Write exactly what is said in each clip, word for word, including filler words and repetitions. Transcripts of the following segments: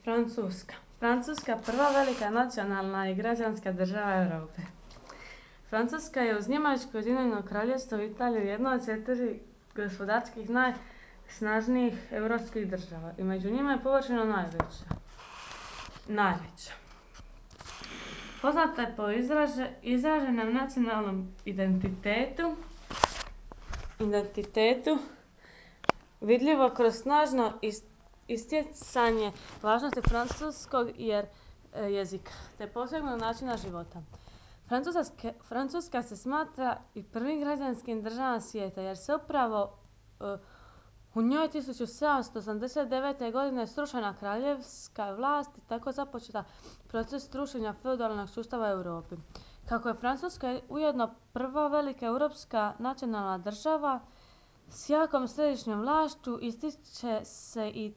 Francuska. Francuska prva velika nacionalna i građanska država Europe. Francuska je uz Njemačko i Ujedinjeno Kraljevstvo i Italiju jedna od četiri gospodarskih najsnažnijih europskih država i među njima je površinom najveća. Najveća. Poznata je po izraže, izraženom nacionalnom identitetu, identitetu vidljivo kroz snažno istjecanje važnosti francuskog jer, e, jezika, te posebnog načina života. Francuska, Francuska se smatra i prvim građanskim državom svijeta jer se upravo e, u njoj tisuću sedamsto osamdeset devete. godine srušena kraljevska vlast i tako započeta proces strušenja feudalnog sustava u Europi. Kako je Francuska ujedno prva velika europska nacionalna država s jakom središnjom vlašću, ističe se i,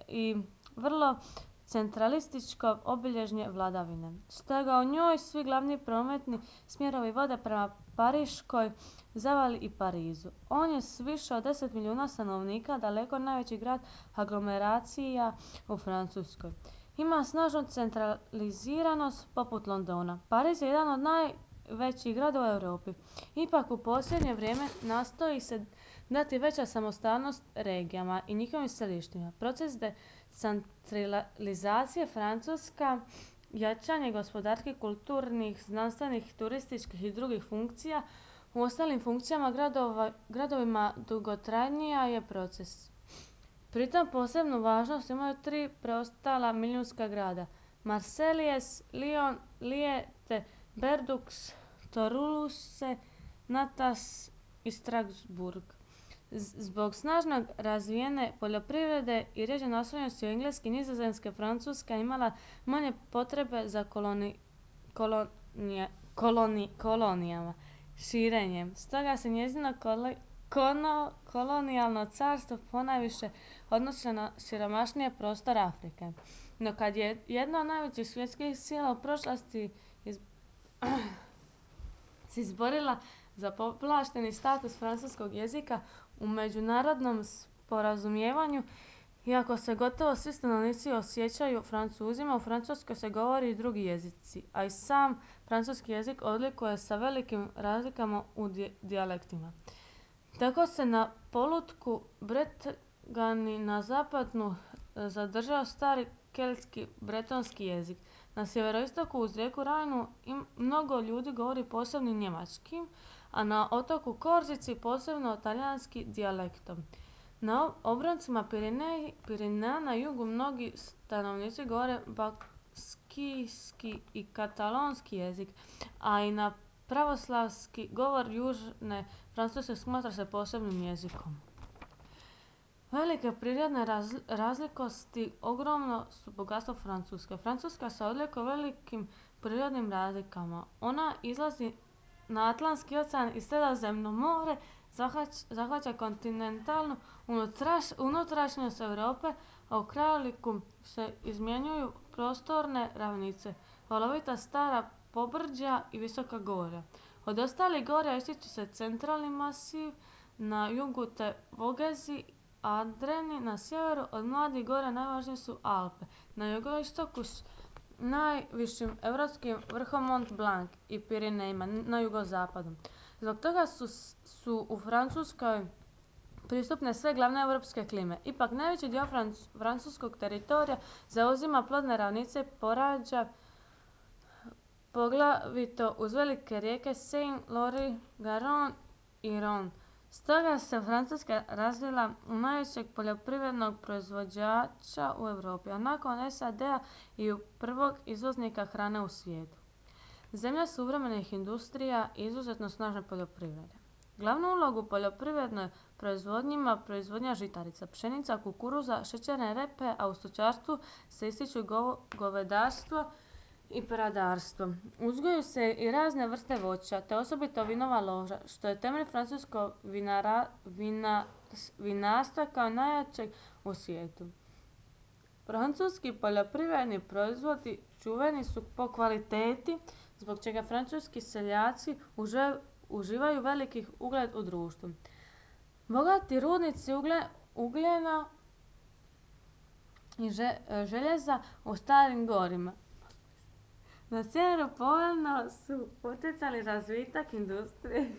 i vrlo centralističko obilježje vladavine. Stoga u njoj svi glavni prometni smjerovi vode prema Pariškoj zavali i Parizu. On je s više od deset milijuna stanovnika daleko najveći grad aglomeracija u Francuskoj. Ima snažnu centraliziranost poput Londona. Pariz je jedan od najvećih gradova u Europi. Ipak u posljednje vrijeme nastoji se dati veća samostalnost regijama i njihovim središtima. Proces decentralizacije Francuska, jačanje gospodarskih, kulturnih, znanstvenih, turističkih i drugih funkcija u ostalim funkcijama gradova, gradovima dugotrajnija je proces. Pritom posebnu važnost imaju tri preostala milijunska grada: Marseilles, Lyon, Lille te Bordeaux, Toulouse, Nantes i Strasbourg. Zbog snažno razvijene poljoprivrede i rjeđe naslonjenosti u engleski, nizozemske, Francuska imala manje potrebe za koloni, kolonija, koloni, kolonijama, širenjem. Stoga se njezino koli, kono, kolonijalno carstvo ponajviše odnosi na siromašnije prostor Afrike. No kad je jedna od najvećih svjetskih sila u prošlosti iz, se izborila za povlašteni status francuskog jezika u međunarodnom sporazumijevanju, iako se gotovo svi stanovnici osjećaju Francuzima, u Francuskoj se govori i drugi jezici, a i sam francuski jezik odlikuje sa velikim razlikama u dijalektima. Tako se na polutku Bretani na zapadu zadržao stari keltski bretonski jezik. Na sjeveroistoku uz rijeku Rajnu mnogo ljudi govori posebnim njemačkim, a na otoku Korzici posebno talijanski dijalektom. Na obroncima Pirinea na jugu mnogi stanovnici govore baskijski i katalonski jezik, a i na pravoslavski govor južne Francuske smatra se posebnim jezikom. Velike prirodne razlikosti ogromno su bogatstvo Francuske. Francuska se odlikuje velikim prirodnim razlikama. Ona izlazi na Atlantski ocean i Sredozemno more, zahvaća, zahvaća kontinentalnu unutraš, unutrašnjost Europe, a u krajoliku se izmjenjuju prostorne ravnice, valovita stara pobrđa i visoka gorja. Od ostalih gorja ističe se centralni masiv na jugu te Vogezi, Adreni na sjeveru. Od mladih gora najvažnije su Alpe. Na jugoistoku s najvišim europskim vrhom Mont Blanc i Pirinejima na jugozapadu. Zbog toga su, su u Francuskoj pristupne sve glavne europske klime. Ipak najveći dio franc, francuskog teritorija zauzima plodne ravnice porađa poglavito uz velike rijeke Seine, Loire, Garonne i Rhône. Stoga se Francuska razvila u najvećeg poljoprivrednog proizvođača u Europi, a nakon S A D-a i u prvog izvoznika hrane u svijetu. Zemlja suvremenih industrija i izuzetno snažne poljoprivrede. Glavnu ulogu u poljoprivrednoj proizvodnji ima proizvodnja žitarica, pšenica, kukuruza, šećerne repe, a u stočarstvu se ističu go, govedarstvo i peradarstvo. Uzgojuju se i razne vrste voća, te osobito vinova loža, što je temelj francuskog vinara, vina, vinarstva kao najjačeg u svijetu. Francuski poljoprivredni proizvodi čuveni su po kvaliteti, zbog čega francuski seljaci uže, uživaju velikih ugled u društvu. Bogati rudnici ugle, ugljena i željeza u starim gorima. Na sjeveru povoljno su utjecali razvitak industrije.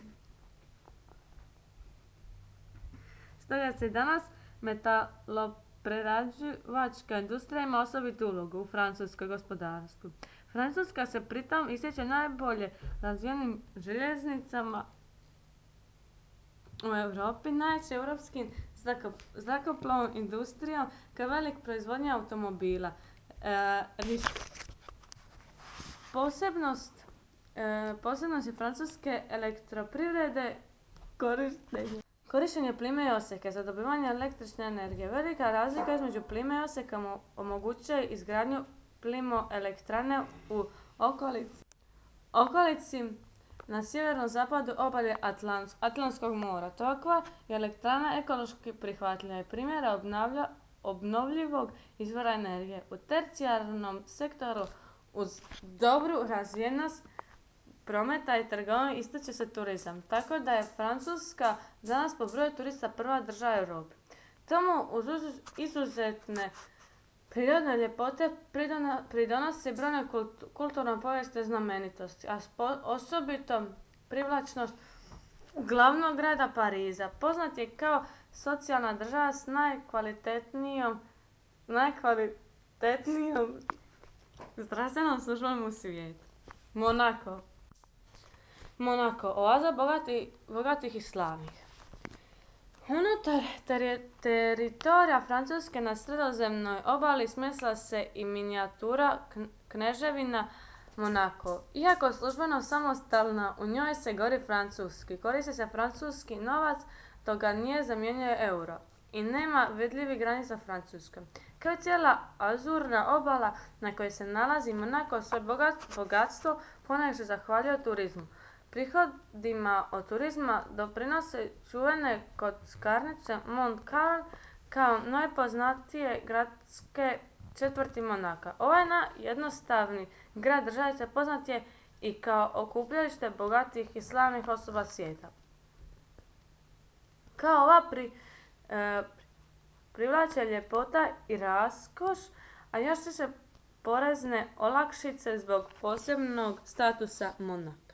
Stoga se danas metaloprerađivačka industrija ima osobitu ulogu u francuskom gospodarstvu. Francuska se pritom ističe najbolje razvijenim željeznicama u Europi, najjačim europskim zrakoplovnom industrijom kao velik proizvodnja automobila. E, posebnost, e, posebnost je francuske elektroprivrede korištenje. Korištenje plime i oseke za dobivanje električne energije. Velika razlika između plime i oseka omogućuje izgradnju plimoelektrane u okolici, okolici na sjevernom zapadu obalje Atlans, Atlantskog mora. Takva je elektrana ekološki prihvatljiva i primjera obnovljivog izvora energije. U tercijarnom sektoru uz dobru razvijenost prometa i trgovine ističe se turizam, tako da je Francuska danas po broju turista prva država u Europi. Tomu uz izuzetne prirodne ljepote pridonosi brojne kulturno-povijesne znamenitosti, a osobito privlačnost glavnog grada Pariza. Poznat je kao socijalna država s najkvalitetnijom, najkvalitetnijom zdravstvenom službom u svijetu. Monako. Monako, oaza bogati, bogatih i slavnih. Unutar teri, teritorija Francuske na sredozemnoj obali smjestila se i minijatura kneževina Monako. Iako službeno samostalna, u njoj se govori francuski. Koristi se francuski novac, dok ga nije zamijenio euro. I nema vidljivih granica Francuske. Kao cijela azurna obala na kojoj se nalazi Monako, svoje bogatstvo ponajviše zahvaljuje turizmu. Prihodima od turizma doprinose čuvene kockarnice Mont Carl kao najpoznatije gradske četvrti Monaka. Ovaj jednostavni grad državice poznat je i kao okupljalište bogatih i slavnih osoba svijeta. Kao ova pri, e, privlače ljepota i raskoš, a još više porezne olakšice zbog posebnog statusa Monaka.